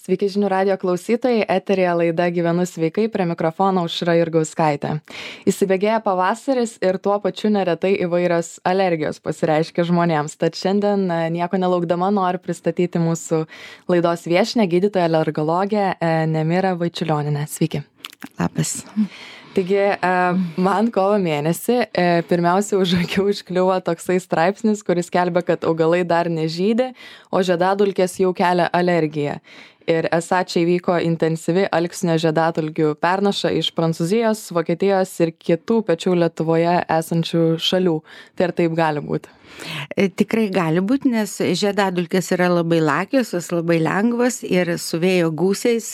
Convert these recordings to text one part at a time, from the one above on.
Sveiki žinių radijo klausytojai, eterija laida Gyvenu sveikai, prie mikrofono Aušra Jurgauskaitė. Įsibėgėja pavasaris ir tuo pačiu neretai įvairios alergijos pasireiškia žmonėms. Tad šiandien nieko nelaukdama noriu pristatyti mūsų laidos viešnią, gydytoją alergologę Nemirą Vaičiulionienę. Sveiki. Labas. Taigi, man kovo mėnesį pirmiausia už akių užkliuvo toksai straipsnis, kuris skelbia, kad augalai dar nežydi, o žiedadulkės jau kelia alergiją. Ir esą čia įvyko intensyvi alksnio žiedadulkių pernaša iš Prancūzijos, Vokietijos ir kitų pačių Lietuvoje esančių šalių. Tai ar taip gali būti? Tikrai gali būti, nes žiedadulkės yra labai lakiosios, labai lengvos ir su vėjo gūsiais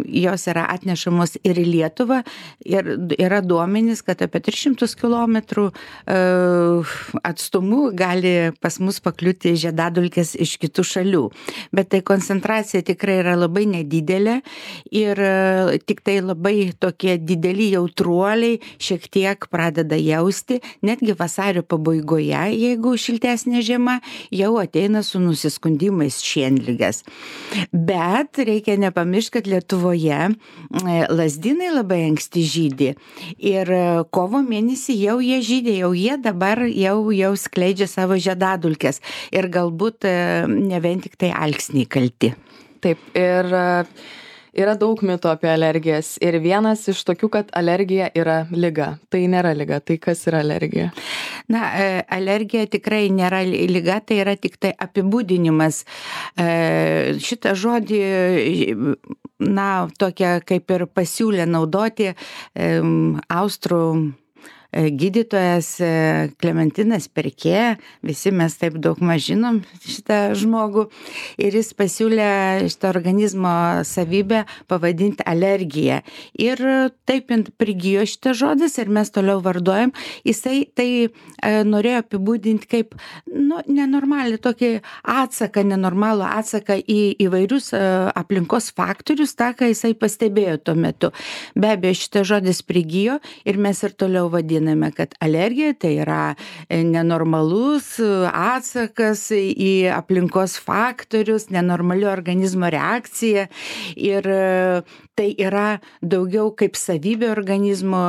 jos yra atnešamos ir į Lietuvą. Ir yra duomenys, kad apie 300 km atstumu gali pas mus pakliūti žiedadulkės iš kitų šalių. Bet tai koncentracija tikrai yra labai nedidelė ir tik tai labai tokie dideli jautruoliai šiek tiek pradeda jausti, netgi vasario pabaigoje, jeigu šiltesnė žiema, jau ateina su nusiskundimais šienligės. Bet reikia nepamiršti, kad Lietuvoje lazdynai labai anksti žydi ir kovo mėnesį jau jie žydė, jau jie dabar jau skleidžia savo žiedadulkes ir galbūt ne vien tik tai alksniai kalti. Taip, ir yra daug mitų apie alergijas ir vienas iš tokių, kad alergija yra liga. Tai nėra liga, tai kas yra alergija? Na, alergija tikrai nėra liga, tai yra tik tai apibūdinimas. Šitą žodį, tokia kaip ir pasiūlė naudoti austrų gydytojas Klementinas Perkė, visi mes taip daug žinom šitą žmogų, ir jis pasiūlė šitą organizmo savybę pavadinti alergiją. Ir taip prigijo šitas žodis ir mes toliau vartojam. Jisai tai norėjo apibūdinti kaip nenormalų tokį atsaką, nenormalų atsaką į įvairius aplinkos faktorius, tą, ką jisai pastebėjo tuo metu. Be abejo, šitas žodis prigijo ir mes ir toliau vadiname, kad alergija tai yra nenormalus atsakas į aplinkos faktorius, nenormali organizmo reakcija ir tai yra daugiau kaip savybė organizmo,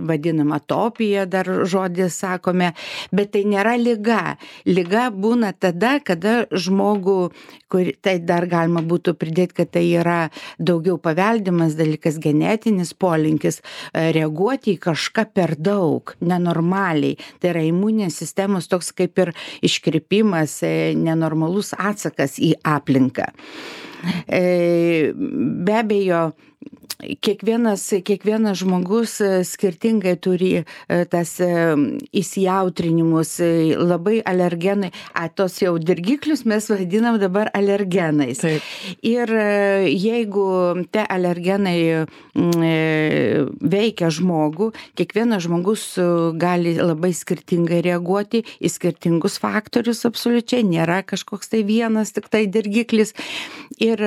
vadinama atopija, dar žodį sakome, bet tai nėra liga. Liga būna tada, kada žmogų, tai dar galima būtų pridėti, kad tai yra daugiau paveldimas dalykas, genetinis polinkis, reaguoti į kažką per daug, nenormaliai. Tai yra imuninės sistemos toks kaip ir iškrypimas, nenormalus atsakas į aplinką. Be abejo, kiekvienas žmogus skirtingai turi tas įsijautrinimus, labai alergenai, tos jau dirgiklius mes vadinam dabar alergenais. Taip. Ir jeigu tie alergenai veikia žmogų, kiekvienas žmogus gali labai skirtingai reaguoti į skirtingus faktorius absoliučiai, nėra kažkoks tai vienas tik tai dirgiklis. Ir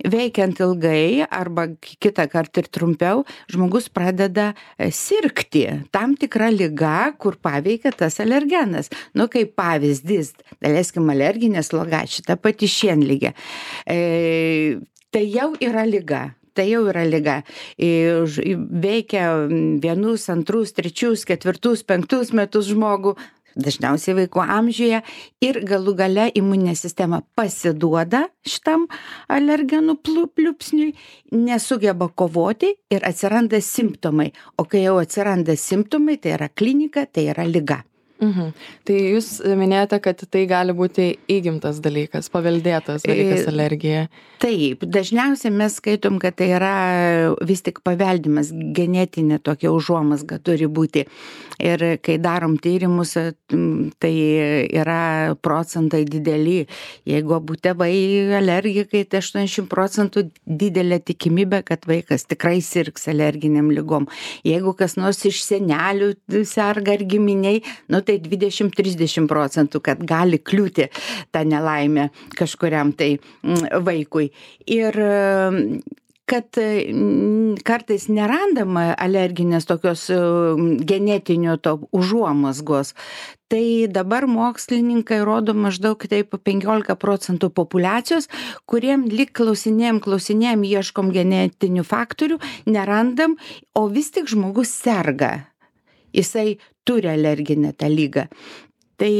veikiant ilgai arba kitą kartą ir trumpiau, žmogus pradeda sirgti tam tikra liga, kur paveikia tas alergenas. Kaip pavyzdys, daleiskim alerginė sloga, šita pati šienligė. Tai jau yra liga. Tai jau yra liga. Veikia 1, 2, 3, 4, 5 metus žmogų, dažniausiai vaiko amžiuje, ir galų gale imuninė sistema pasiduoda šitam alergenų pliupsniui, nesugeba kovoti ir atsiranda simptomai. O kai jau atsiranda simptomai, tai yra klinika, tai yra liga. Tai jūs minėjote, kad tai gali būti įgimtas dalykas, paveldėtas dalykas alergija. Taip, dažniausiai mes skaitom, kad tai yra vis tik paveldimas, genetinė tokia užuomazga turi būti. Ir kai darom tyrimus, tai yra procentai dideli. Jeigu abu tėvai alergikai, tai 80% didelė tikimybė, kad vaikas tikrai sirgs alerginiam ligom. Jeigu kas nors iš senelių serga ar giminiai, tai 20-30%, kad gali kliūti tą nelaimę kažkuriam tai vaikui. Ir kad kartais nerandama alerginės tokios genetinio to užuomazgos. Tai dabar mokslininkai rodo maždaug taip 15% populiacijos, kuriem lyg klausinėjam, ieškom genetinių faktorių, nerandam, o vis tik žmogus serga. Jisai turi alerginę tą lygą. Tai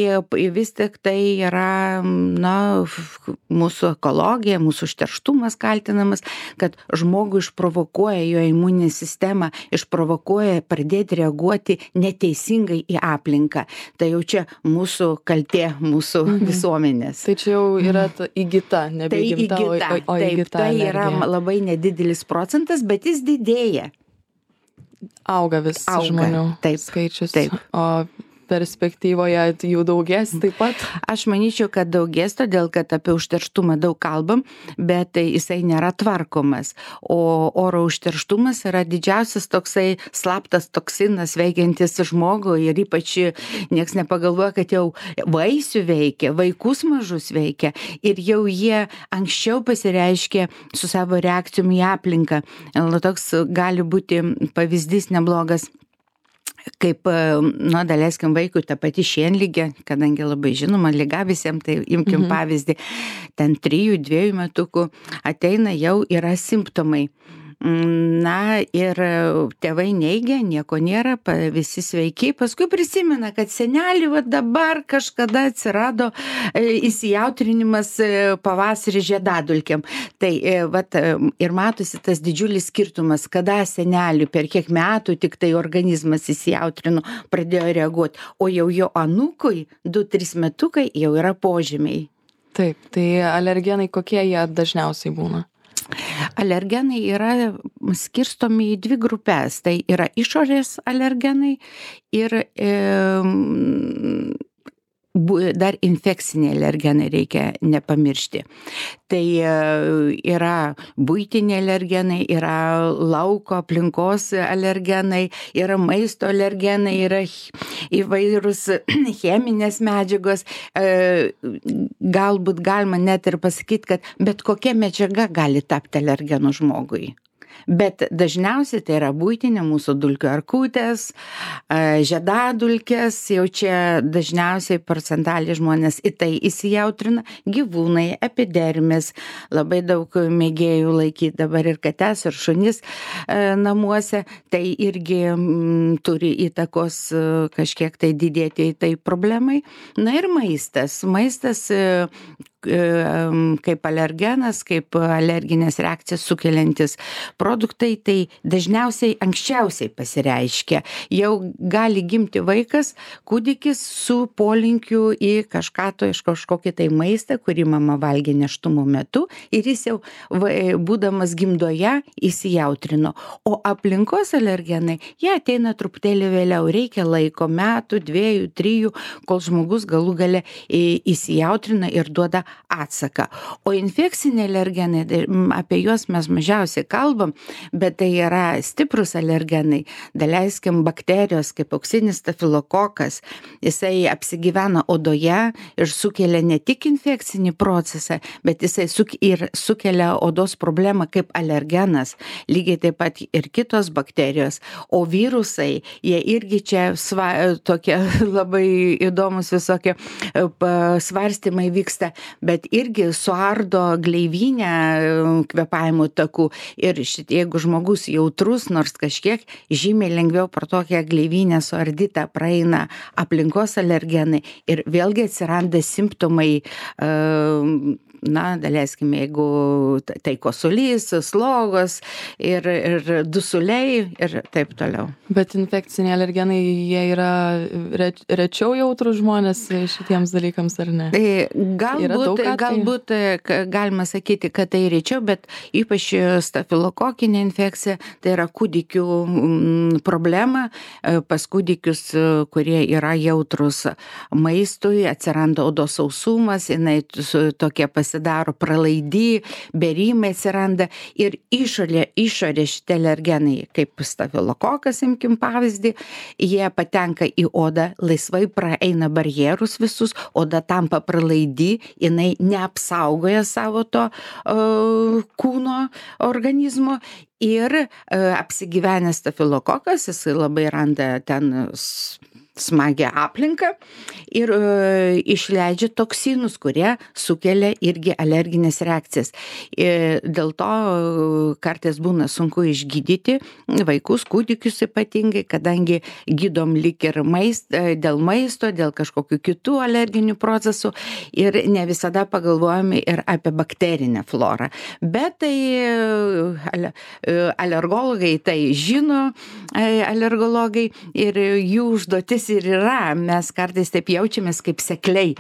vis tik tai yra, mūsų ekologija, mūsų užterštumas kaltinamas, kad žmogų išprovokuoja jo imuninė sistema, išprovokuoja pradėti reaguoti neteisingai į aplinką. Tai jau čia mūsų kaltė, mūsų visuomenės. Tai čia jau yra įgyta, nebe įgimta, o įgyta. Tai yra labai nedidelis procentas, bet jis didėja. Auga vis žmonių skaičius. Taip. O perspektyvoje jų daugės taip pat? Aš manyčiau, kad daugės, todėl kad apie užterštumą daug kalbam, bet jisai nėra tvarkomas. O oro užterštumas yra didžiausias toksai slaptas toksinas veikiantis žmogų ir ypač nieks nepagalvoja, kad jau vaisių veikia, vaikus mažus veikia ir jau jie anksčiau pasireiškia su savo reakcijom į aplinką. Toks gali būti pavyzdys neblogas. Kaip, daleiskim vaikui ta pati šienligė, kadangi labai žinoma liga visiems, tai imkim pavyzdį, ten 3-2 metukų ateina jau yra simptomai. Ir tėvai neigia, nieko nėra, visi sveiki, paskui prisimena, kad senelį dabar kažkada atsirado įsijautrinimas pavasarį žiedadulkėm. Tai ir matosi tas didžiulis skirtumas, kada senelių per kiek metų tik tai organizmas įsijautrino, pradėjo reaguoti, o jau jo anūkui 2-3 metukai jau yra požymiai. Taip, tai alergenai kokie jie dažniausiai būna? Alergenai yra skirstomi į 2 grupės. Tai yra išorės alergenai ir dar infekciniai alergenai reikia nepamiršti. Tai yra buitiniai alergenai, yra lauko aplinkos alergenai, yra maisto alergenai, yra įvairūs cheminės medžiagos. Galbūt galima net ir pasakyti, kad bet kokia medžiaga gali tapti alergenu žmogui. Bet dažniausiai tai yra buitinė mūsų dulkių erkutės, žiedadulkės, jau čia dažniausiai procentaliai žmonės į tai įsijautrina, gyvūnai, epidermis, labai daug mėgėjų laikyti dabar ir kates, ir šunis namuose, tai irgi turi įtakos kažkiek tai didėti tai problemai. Na ir maistas. Maistas kaip alergenas, kaip alerginės reakcijas sukeliantis produktai, tai dažniausiai anksčiausiai pasireiškia. Jau gali gimti vaikas, kūdikis su polinkiu į kažkokį tai maistą, kurį mama valgė nėštumo metu ir jis jau būdamas gimdoje įsijautrino. O aplinkos alergenai, jie ateina truputėlį vėliau, reikia laiko, metų, 2, 3, kol žmogus galų gale įsijautrina ir duoda atsaką. O infekciniai alergenai, apie juos mes mažiausiai kalbam, bet tai yra stiprus alergenai. Daleiskim bakterijos, kaip auksinis stafilokokas, jisai apsigyvena odoje ir sukelia ne tik infekcinį procesą, bet jisai sukelia odos problemą kaip alergenas, lygiai taip pat ir kitos bakterijos. O virusai, jie irgi čia tokie labai įdomus visokie svarstymai vyksta, bet irgi suardo gleivinę kvėpavimo takų ir jeigu žmogus jautrus, nors kažkiek žymiai lengviau pro tokią gleivinę suardytą praeina aplinkos alergenai ir vėlgi atsiranda simptomai, daleiskim, jeigu tai kosulys, slogos ir dusuliai ir taip toliau. Bet infekciniai alergenai, jie yra rečiau jautrus žmonės šitiems dalykams, ar ne? Galbūt galima sakyti, kad tai rečiau, bet ypač stafilokokinė infekcija, tai yra kūdikių problema. Pas kūdikius, kurie yra jautrus maistui, atsiranda odos sausumas, jinai tokia pasidaro pralaidi, bėrimai atsiranda ir išorė šitie alergenai, kaip stafilokokas, imkim pavyzdį, jie patenka į odą, laisvai praeina barjerus visus, oda tampa pralaidi, jinai jinai neapsaugoja savo to kūno organizmo ir apsigyvenęs stafilokokas, jisai labai randa ten smagią aplinką ir išleidžia toksinus, kurie sukelia irgi alerginės reakcijas. Dėl to kartais būna sunku išgydyti vaikus, kūdikius ypatingai, kadangi gydom lyg ir dėl maisto, dėl kažkokių kitų alerginių procesų ir ne visada pagalvojame ir apie bakterinę florą. Bet tai alergologai tai žino, alergologai, ir jų užduotis ir yra, mes kartais taip jaučiamės kaip sekliai,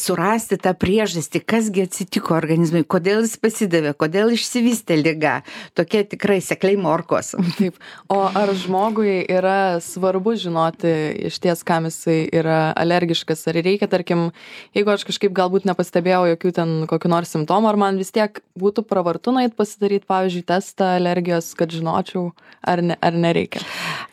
surasti tą priežastį, kasgi atsitiko organizmui, kodėl jis pasidavė, kodėl išsivystė liga. Tokie tikrai sekliai morkos. Taip. O ar žmogui yra svarbu žinoti iš ties, kam jisai yra alergiškas, ar reikia, tarkim, jeigu aš kažkaip galbūt nepastebėjau jokių ten kokių nors simptomų, ar man vis tiek būtų pravartu nueit pasidaryti, pavyzdžiui, testą alergijos, kad žinočiau, ar nereikia?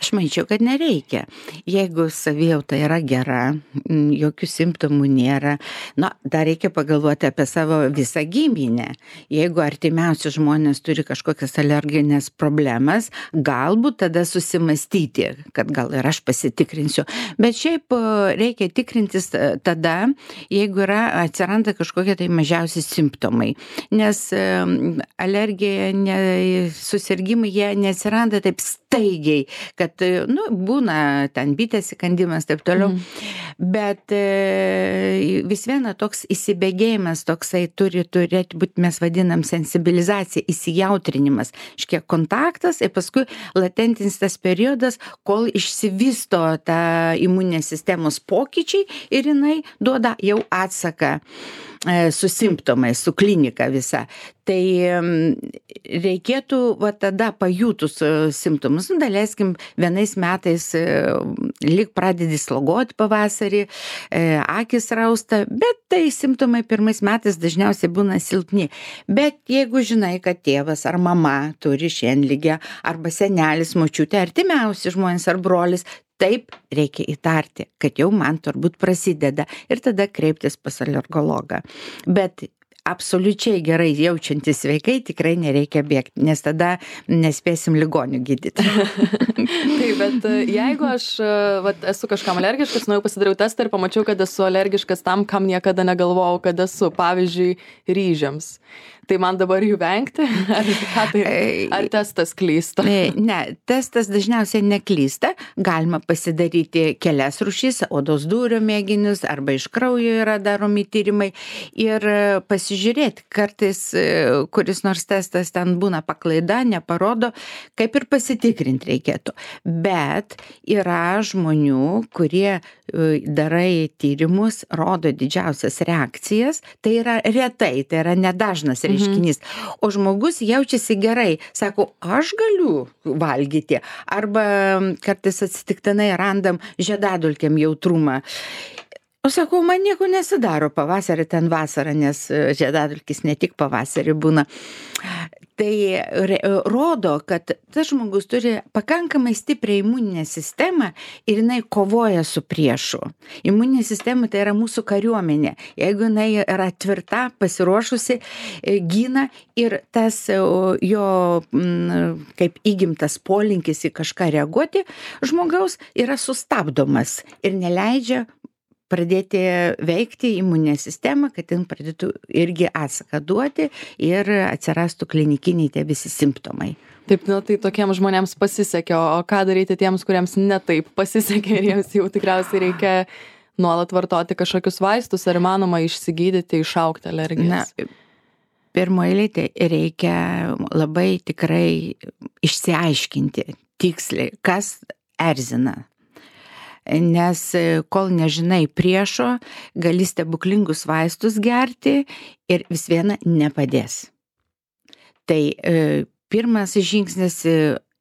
Aš manyčiau, kad nereikia. Jeigu savijauta yra gera, jokių simptomų nėra, dar reikia pagalvoti apie savo visą giminę. Jeigu artimiausi žmonės turi kažkokias alerginės problemas, galbūt tada susimastyti, kad gal ir aš pasitikrinsiu. Bet šiaip reikia tikrintis tada, jeigu atsiranda kažkokie tai mažiausi simptomai. Nes alergija, susirgimai, jie neatsiranda taip staigiai, kad, būna ten bitės įkandimas, taip toliau. Bet vis viena toks įsibėgėjimas, toksai turi turėti būti, mes vadinam sensibilizacija, įsijautrinimas, iškiek kontaktas ir paskui latentinis tas periodas, kol išsivysto ta imuninės sistemos pokyčiai ir jinai duoda jau atsaką su simptomais, su klinika visa. Tai reikėtų tada pajutus simptomus, daleiskim, vienais metais lyg pradedi slogoti pavasarį, akis rausta, bet tai simptomai pirmais metais dažniausiai būna silpni. Bet jeigu žinai, kad tėvas ar mama turi šienligę, arba senelis, močiutė, artimiausi žmonės ar brolis, taip reikia įtarti, kad jau man turbūt prasideda ir tada kreiptis pas alergologą. Bet absoliučiai gerai jaučiantis sveikai tikrai nereikia bėgti, nes tada nespėsim ligonių gydyti. Taip, bet jeigu aš esu kažkam alergiškas, nuėjau pasidariau testą ir pamačiau, kad esu alergiškas tam, kam niekada negalvojau, kad esu, pavyzdžiui, ryžiams. Tai man dabar jų vengti? Ar testas klysta? Ne, testas dažniausiai neklysta. Galima pasidaryti kelias rūšis, odos dūrio mėginius, arba iš kraujo yra daromi tyrimai ir pasižiūrėti. Kartais kuris nors testas ten būna paklaida, neparodo, kaip ir pasitikrinti reikėtų. Bet yra žmonių, kurie darai tyrimus, rodo didžiausias reakcijas, tai yra retai, tai yra nedažnas reiškinys. O žmogus jaučiasi gerai, sako, aš galiu valgyti, arba kartais atsitiktinai randam žiedadulkėm jautrumą. O sakau, man nieko nesidaro pavasarį, ten vasarą, nes žiedadulkis ne tik pavasarį būna. Tai rodo, kad tas žmogus turi pakankamai stiprią imuninę sistemą ir jinai kovoja su priešu. Imuninė sistema tai yra mūsų kariuomenė. Jeigu jinai yra tvirta, pasiruošusi, gina ir tas jo kaip įgimtas polinkis į kažką reaguoti, žmogaus yra sustabdomas ir neleidžia pradėti veikti imuninę sistemą, kad jin pradėtų irgi atsaką duoti ir atsirastų klinikiniai tie visi simptomai. Taip, tai tokiems žmonėms pasisekė, o ką daryti tiems, kuriems netaip pasisekė ir jiems jau tikriausiai reikia nuolat vartoti kažkokius vaistus, ar įmanoma išsigydyti, išaugti alergijas? Pirmoje eilėje reikia labai tikrai išsiaiškinti tiksliai, kas erzina. Nes kol nežinai priešo, gali stebuklingus vaistus gerti ir vis viena nepadės. Tai pirmas žingsnis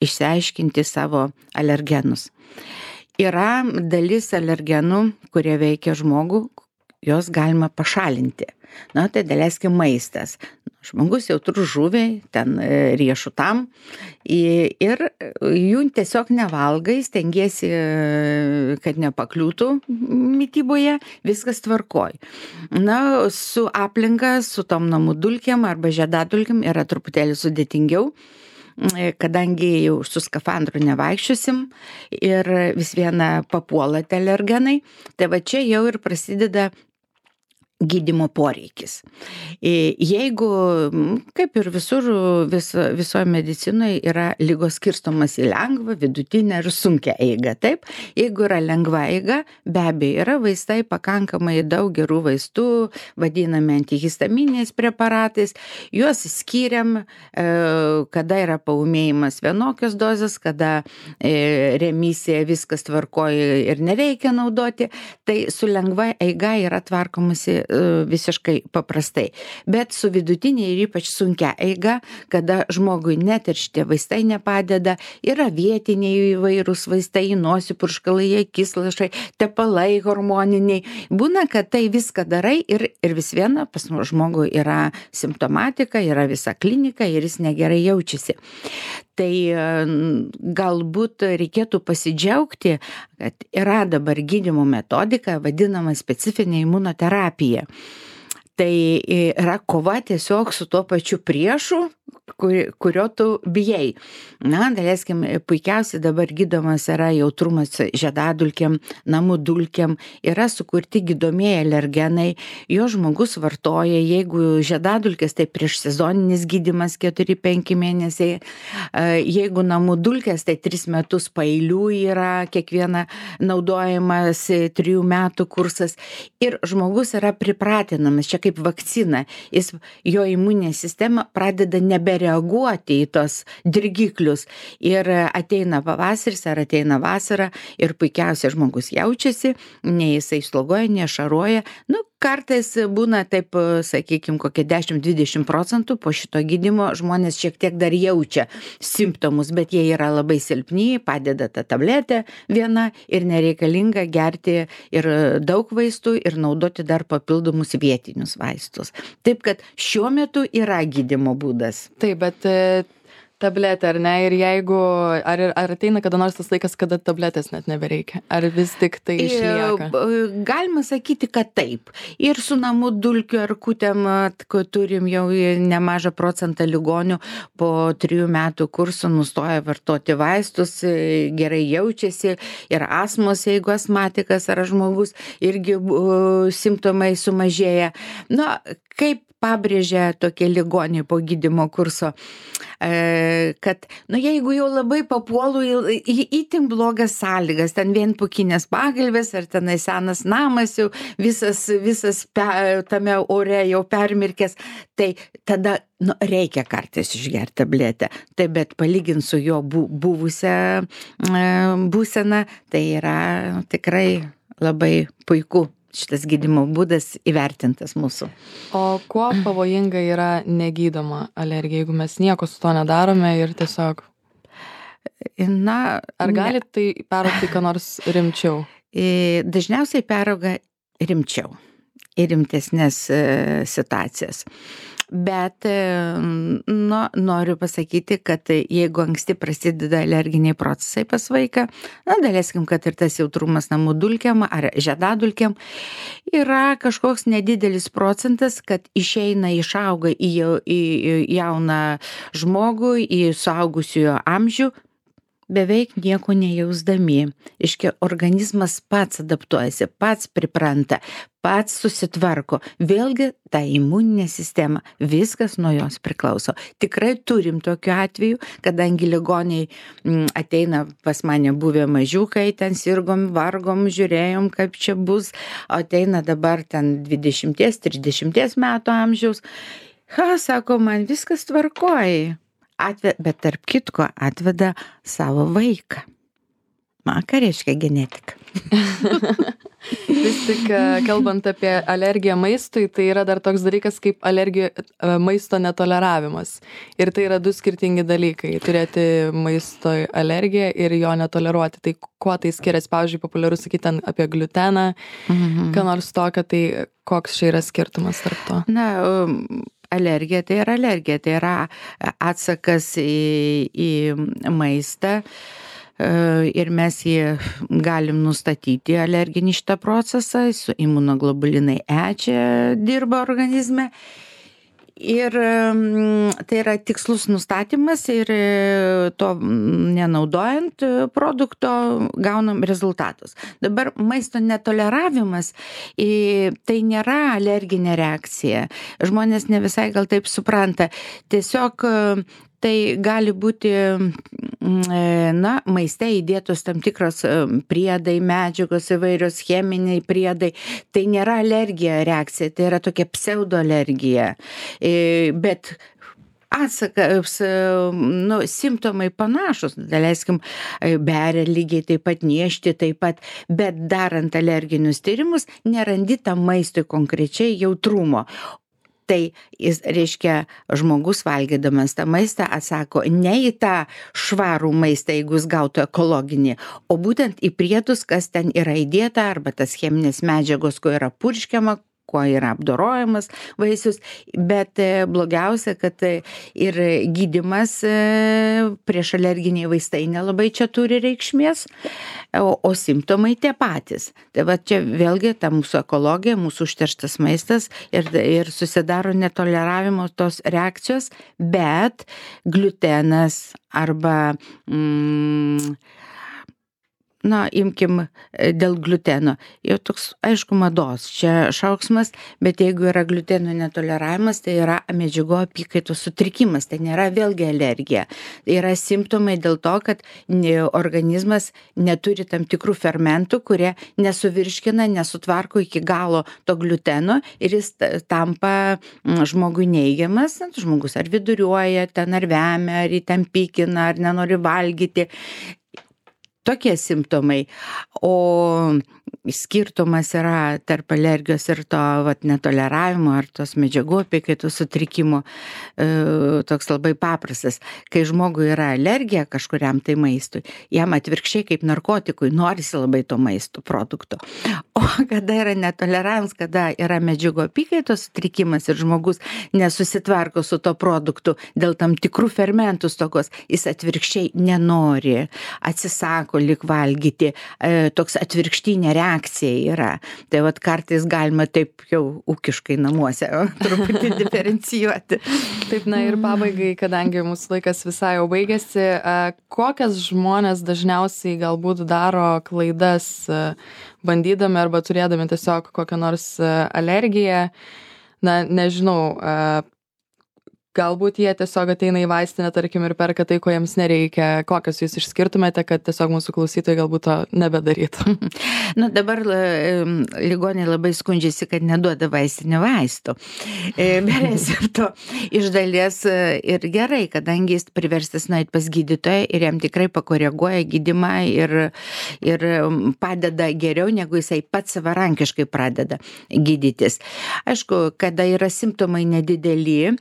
išsiaiškinti savo alergenus. Yra dalis alergenų, kurie veikia žmogų, jos galima pašalinti. Tai daleiskim maistas. žmogus jautrus žuviai, ten riešutam ir jų tiesiog nevalgai, stengiesi, kad nepakliūtų mityboje, viskas tvarkoj. Na, su aplinka, su tom namų dulkėm arba žiedadulkėm yra truputėlį sudėtingiau, kadangi jau su skafandru nevaikščiosim ir vis viena papuola tie alergenai, tai va čia jau ir prasideda gydymo poreikis. Jeigu, kaip ir visur, visoje medicinoje yra lygos skirstomas į lengvą, vidutinę ir sunkią eigą. Taip, jeigu yra lengva eiga, be abejo yra vaistai, pakankamai daug gerų vaistų, vadinami antihistaminiais preparatais, juos skiriam, kada yra paūmėjimas vienokios dozės, kada remisija, viskas tvarkoja ir nereikia naudoti, tai su lengva eiga yra tvarkomasi visiškai paprastai. Bet su vidutinė ir ypač sunkia eiga, kada žmogui net ir šitie vaistai nepadeda, yra vietiniai įvairūs vaistai, nosį purškalai, akislašai, tepalai hormoniniai. Būna, kad tai viską darai ir vis viena pas žmogų yra simptomatika, yra visa klinika ir jis negerai jaučiasi. Tai galbūt reikėtų pasidžiaugti, kad yra dabar gydymo metodika, vadinama specifinė imunoterapija. Tai yra kova tiesiog su tuo pačiu priešu, kurio tu bijai. Na, daleiskim, puikiausiai dabar gydomas yra jautrumas žiedadulkėm, namų dulkėm, yra sukurti gydomieji alergenai, jo žmogus vartoja, jeigu žiedadulkės, tai prieš sezoninis gydymas 4-5 mėnesiai, jeigu namų dulkės, tai 3 metus paeilių yra kiekviena naudojamas 3 metų kursas ir žmogus yra pripratinamas, čia kaip vakcina, jo imuninė sistema pradeda nebereaguoti į tos dirgiklius ir ateina pavasaris ar ateina vasara ir puikiausiai žmogus jaučiasi, nei jisai slogoja, nešaruoja. Nu, kartais būna taip, sakykime, kokie 10-20% po šito gydymo žmonės šiek tiek dar jaučia simptomus, bet jie yra labai silpni, padeda ta tabletė viena ir nereikalinga gerti ir daug vaistų ir naudoti dar papildomus vietinius vaistus. Taip, kad šiuo metu yra gydymo būdas. Taip, bet tabletė, ar ne? Ir jeigu, ar ateina kada nors tas laikas, kada tabletės net nebereikia? Ar vis tik tai išlieka? Galima sakyti, kad taip. Ir su namų dulkių erkutėm, turim jau nemažą procentą ligonių po 3 metų kurso nustoja vartoti vaistus, gerai jaučiasi ir astmos, jeigu astmatikas ar žmogus, irgi simptomai sumažėja. Na, kaip pabrėžia tokie ligoniai po gydymo kurso, kad, jeigu jau labai papuolu į itin blogas sąlygas, ten vienpukinės pagalvės, ar tenai senas namas jau visas tame ore jau permirkęs, tai tada reikia kartais išgerti tabletę. Tai bet palygint su jo buvusią būseną, tai yra tikrai labai puiku. Šitas gydymo būdas įvertintas mūsų. O kuo pavojinga yra negydoma alergija, jeigu mes nieko su to nedarome ir tiesiog... Ar gali tai peraugti ką nors rimčiau? Dažniausiai perauga rimčiau ir rimtesnės situacijas. Bet noriu pasakyti, kad jeigu anksti prasideda alerginiai procesai pas vaiką, daleiskim, kad ir tas jautrumas namų dulkėm ar žiedadulkėm, yra kažkoks nedidelis procentas, kad išauga į jauną žmogų, į suaugusiojo amžių, beveik nieko nejausdami. Iškia, organizmas pats adaptuojasi, pats pripranta, pats susitvarko. Vėlgi, ta imuninė sistema, viskas nuo jos priklauso. Tikrai turim tokiu atveju, kadangi ligoniai ateina pas mane buvę mažiukai, ten sirgom, vargom, žiūrėjom, kaip čia bus, ateina dabar ten 20-30 metų amžiaus. Sako, man viskas tvarkoja. Bet tarp kitko atveda savo vaiką. Ką reiškia genetika? Vis tik, kalbant apie alergiją maistui, tai yra dar toks dalykas kaip maisto netoleravimas. Ir tai yra 2 skirtingi dalykai. Turėti maisto alergiją ir jo netoleruoti. Tai kuo tai skiriasi? Pavyzdžiui, populiaru sakyti ten apie gliuteną, ką nors tokio, tai koks čia yra skirtumas tarp to? alergija tai yra alergija, tai yra atsakas į maistą. Ir mes jį galim nustatyti alerginį šitą procesą, su imunoglobulinai E čia dirba organizme. Ir tai yra tikslus nustatymas ir to nenaudojant produkto gaunam rezultatus. Dabar maisto netoleravimas tai nėra alerginė reakcija. Žmonės ne visai gal taip supranta. Tiesiog tai gali būti maiste įdėtos tam tikros priedai, medžiagos įvairios, cheminiai priedai. Tai nėra alergija reakcija, tai yra tokia pseudoalergija. Bet atsakas, simptomai panašus, daleiskim, beria lygiai taip pat, niežti taip pat, bet darant alerginius tyrimus nerandi tam maistui konkrečiai jautrumo. Tai jis reiškia, žmogus valgydamas tą maistą atsako ne į tą švarų maistą, jeigu jis gautų ekologinį, o būtent į priedus, kas ten yra įdėta, arba tas cheminės medžiagos, ko yra purškiama, kuo yra apdorojamas vaisius, bet blogiausia, kad ir gydymas prieš alerginiai vaistai nelabai čia turi reikšmės, o simptomai tie patys. Tai va čia vėlgi ta mūsų ekologija, mūsų užterštas maistas ir susidaro netoleravimo tos reakcijos, bet gliutenas arba imkim dėl gliuteno. Jau toks, aišku, mados, čia šauksmas, bet jeigu yra gliuteno netoleravimas, tai yra medžiagų apykaitos sutrikimas, tai nėra vėlgi alergija. Tai yra simptomai dėl to, kad organizmas neturi tam tikrų fermentų, kurie nesuvirškina, nesutvarko iki galo to gliuteno ir jis tampa žmogui neigiamas. Žmogus ar viduriuoja, ten ar vemia, ar jį ten pykina, ar nenori valgyti. Tokie simptomai, o skirtumas yra tarp alergijos ir to netoleravimo ar tos medžiagų apykaitos sutrikimo toks labai paprastas. Kai žmogui yra alergija kažkuriam tai maistui, jam atvirkščiai kaip narkotikui norisi labai to maisto produkto. O kada yra netoleravimas, kada yra medžiagų apykaitos sutrikimas ir žmogus nesusitvarko su to produktu dėl tam tikrų fermentų stokos, jis atvirkščiai nenori, atsisako lyg valgyti, toks atvirkštinė reakcija yra. Tai kartais galima taip jau ūkiškai namuose truputį diferencijuoti. Taip, ir pabaigai, kadangi mūsų laikas visai jau baigėsi, kokias žmonės dažniausiai galbūt daro klaidas bandydami arba turėdami tiesiog kokią nors alergiją, nežinau, galbūt jie tiesiog ateina į vaistinę, tarkim, ir perka tai, ko jiems nereikia. Kokios jūs išskirtumėte, kad tiesiog mūsų klausytojai galbūt to nebedarytų? Dabar ligoniai labai skundžiasi, kad neduoda vaistinių vaistų. Be recepto iš dalies ir gerai, kadangi jis priverstas nueiti pas gydytoją ir jam tikrai pakoreguoja gydymą ir padeda geriau, negu jisai pats savarankiškai pradeda gydytis. Aišku, kada yra simptomai nedideli,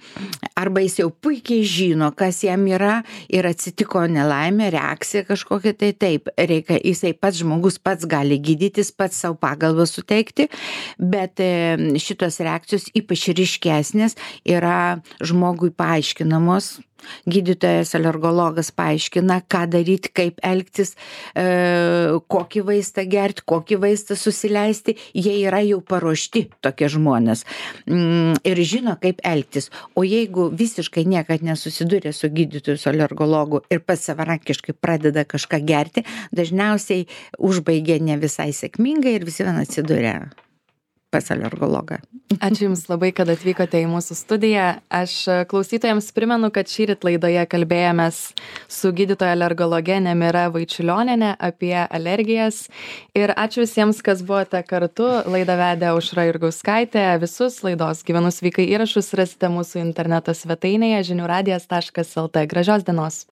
arba jis jau puikiai žino, kas jam yra ir atsitiko nelaimė, reakcija kažkokia, tai taip, reikia, jisai pats žmogus pats gali gydytis, pats savo pagalbą suteikti, bet šitos reakcijos ypač ryškesnės yra žmogui paaiškinamos. Gydytojas alergologas paaiškina, ką daryti, kaip elgtis, kokį vaistą gerti, kokį vaistą susileisti. Jie yra jau paruošti, tokie žmonės, ir žino, kaip elgtis. O jeigu visiškai niekad nesusidūrė su gydytoju, su alergologu ir pats savarankiškai pradeda kažką gerti, dažniausiai užbaigia ne visai sėkmingai ir visi vien atsidūrė pas alergologą. Ačiū Jums labai, kad atvykote į mūsų studiją. Aš klausytojams primenu, kad šįryt laidoje kalbėjomės su gydytoja alergologe Nemira Vaičiulionienė apie alergijas. Ir ačiū visiems, kas buvote kartu. Laidą vedė Aušra Jurgauskaitė. Visus laidos Gyvenu sveikai įrašus rasite mūsų interneto svetainėje žiniųradijas.lt. Gražios dienos.